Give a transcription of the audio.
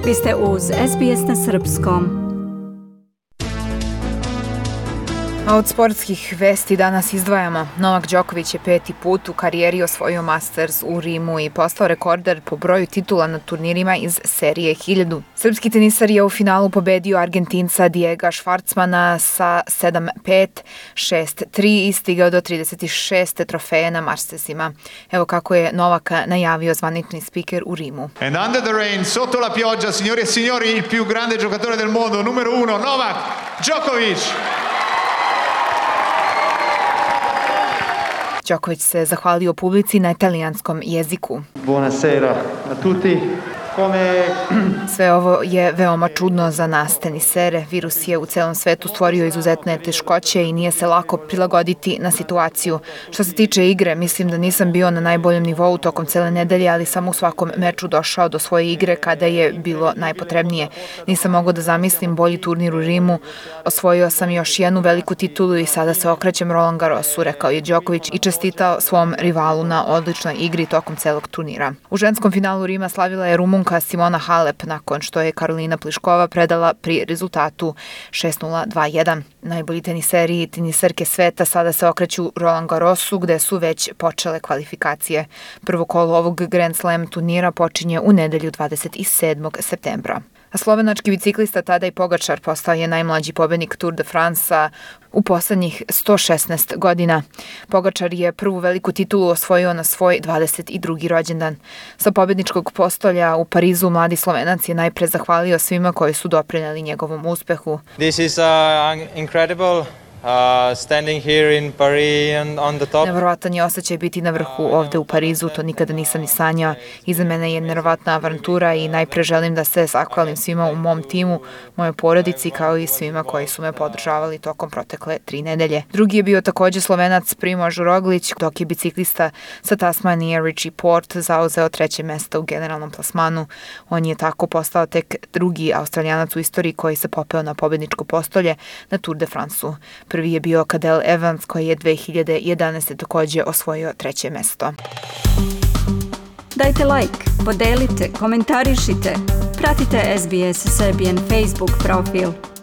Vi ste uz SBS na srpskom. A od sportskih vesti danas izdvajamo. Novak Đoković je 5. put u karijeri osvojio Masters u Rimu i postao rekorder po broju titula na turnirima iz serije 1000. Srpski tenisar je u finalu pobedio Argentinca Diega Schwartzmana sa 7-5, 6-3 i stigao do 36. trofeje na Mastersima. Evo kako je Novak najavio zvanični spiker u Rimu. And under the rain, sotto la pioggia, signori e signori, il più grande giocatore del mondo, numero 1, Novak Đoković. Đoković se zahvalio publici na italijanskom jeziku. Buonasera a tutti. Sve ovo je veoma čudno za nas tenisere. Virus je u celom svetu stvorio izuzetne teškoće i nije se lako prilagoditi na situaciju. Što se tiče igre, mislim da nisam bio na najboljem nivou tokom cele nedelje, ali sam u svakom meču došao do svoje igre kada je bilo najpotrebnije. Nisam mogao da zamislim bolji turnir u Rimu. Osvojio sam još jednu veliku titulu i sada se okrećem Roland Garrosu, rekao je Đoković i čestitao svom rivalu na odličnoj igri tokom celog turnira. U ženskom finalu Rima slavila je Rumunka Simona Halep nakon što je Karolina Pliškova predala pri rezultatu 6-0, 2-1. Najbolji teniseri i tenisarke sveta sada se okreću Roland Garrosu gde su već počele kvalifikacije. Prvo kolo ovog Grand Slam turnira počinje u nedelju 27. septembra. A slovenački biciklista Tadej Pogačar postao je najmlađi pobednik Tour de France u poslednjih 116 godina. Pogačar je prvu veliku titulu osvojio na svoj 22. rođendan. Sa pobedničkog postolja u Parizu mladi Slovenac je najpre zahvalio svima koji su doprineli njegovom uspehu. This is incredible. Standing here in Paris on the top. Neverovatan je osjećaj biti na vrhu ovde u Parizu, to nikada nisam ni sanjao. Iza mene je neverovatna avantura i najpre želim da se zahvalim svima u mom timu, mojoj porodici kao i svima koji su me podržavali tokom protekle 3 nedelje. Drugi je bio takođe Slovenac Primož Roglić, dok je biciklista sa Tasmanije Richie Porte zauzeo 3. mesto u generalnom plasmanu. On je tako postao tek drugi Australijanac u istoriji koji se popeo na pobedničko postolje na Tour de France-u. Prvi je bio Cadel Evans koji je 2011. takođe osvojio 3. mesto. Dajte like, podelite, komentarišite. Pratite SBS Serbian Facebook profil.